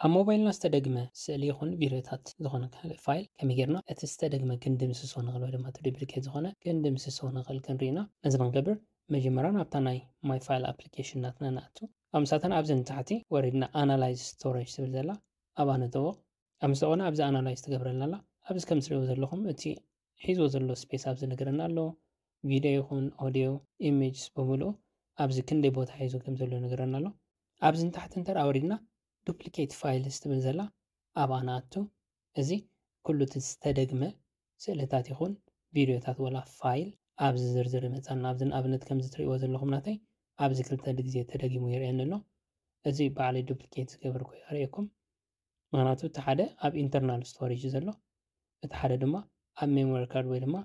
ኣብ ሞባይልና ዝተደግመ ስእሊ ይኹን ቪድዮታት ዝኾነ ካልእ ፋይል ከመይ ጌርና እቲ ዝተደግመ ክንድምስሶ ንኽእል ወይ ድማ እቲ ዱፕሊኬት ዝኾነ ክንድምስሶ ንኽእል ክንርኢና። ነዚ ንክንገብር መጀመርያ ናብታ ናይ ማይ ፋይል ኣፕሊኬሽን ናትና ንኣቱ። ኣብ ምሳተን ኣብዚ ንታሕቲ ወሪድና ኣናላይዝ ስቶሬጅ ትብል ዘላ ኣብኣ ንጠውቕ። ኣብ ምስተኾነ ኣብዚ ኣናላይዝ ትገብረልና ኣላ። ኣብዚ ከም ትሪእዎ ዘለኹም እቲ ሒዝዎ ዘሎ ስፔስ ኣብዚ ነገረና ኣሎ። ቪድዮ ይኹን ኦዲዮ፣ ኢሜጅስ ብምሉኡ ኣብዚ ክንደይ ቦታ ሒዙ ከም ዘሎ ነገረና ኣሎ። ኣብዚ ንታሕቲ እንተደኣ ወሪድና ዱፕሊኬት ፋይልስ ትብል ዘላ ኣብኣ ንኣቱ። እዚ ኩሉ እቲ ዝተደግመ ስእልታት ይኹን ቪድዮታት ወላ ፋይል ኣብዚ ዝርዝር ይመጻና። ኣብዚ ንኣብነት ከምዚ ትሪእዎ ዘለኹም ናተይ ኣብዚ ክልተ ግዜ ተደጊሙ ይርእየኒ ኣሎ። እዚ ባዕለይ ዱፕሊኬት ዝገበርኩ የርእየኩም። ምኽንያቱ እቲ ሓደ ኣብ ኢንተርናል ስቶሬጅ ዘሎ፣ እቲ ሓደ ድማ ኣብ ሜሞሪ ካርድ ወይ ድማ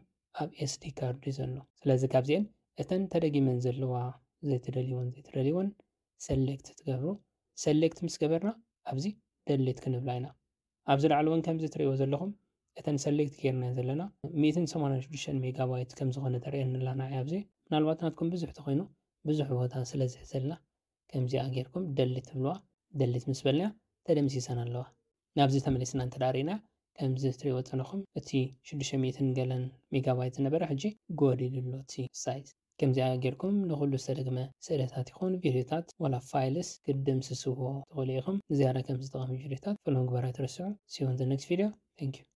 ኣብ ኤስዲ ካርድ እዩ ዘሎ። ስለዚ ካብዚአን እተን ተደጊመን ዘለዋ ዘይትደልይወን ዘይትደልይወን ሰሌክት ትገብሩ። ሰሌክት ምስ ገበርና ኣብዚ ደሌት ክንብላ ኢና። ኣብዚ ላዕሊ እውን ከምዚ ትሪእዎ ዘለኹም እተን ሰሌክት ጌርና ዘለና ሚእትን ሰማንያን ሽዱሽተን ሜጋባይት ከም ዝኾነ ተርእየኒ ኣላ ንዓይ ኣብዚ። ምናልባት ናትኩም ብዙሕ ተኾይኑ ብዙሕ ቦታ ስለ ዝሕዘልና ከምዚኣ ጌርኩም ደሊት ትብልዋ። ደሊት ምስ በልና ተደምሲሰን ኣለዋ። ናብዚ ተመሊስና እንተ ደኣ ርኢና ከምዚ ትሪእዎ ዘለኹም እቲ ሽዱሽተ ሚእትን ገለን ሜጋባይት ዝነበረ ሕጂ ጎዲሉ ኣሎ እቲ ሳይዝ። ከምዚኣ ጌርኩም ንኹሉ ዝተደግመ ስእልታት ይኹን ቪድዮታት ዋላ ፋይልስ ክትድምስስዎ ትኽእሉ ኢኹም። ንዝያዳ ከምዚ ጠቓሚ ቪድዮታት ፎሎ ምግባር ኣይትረስዑ። See you on the next video. Thank you.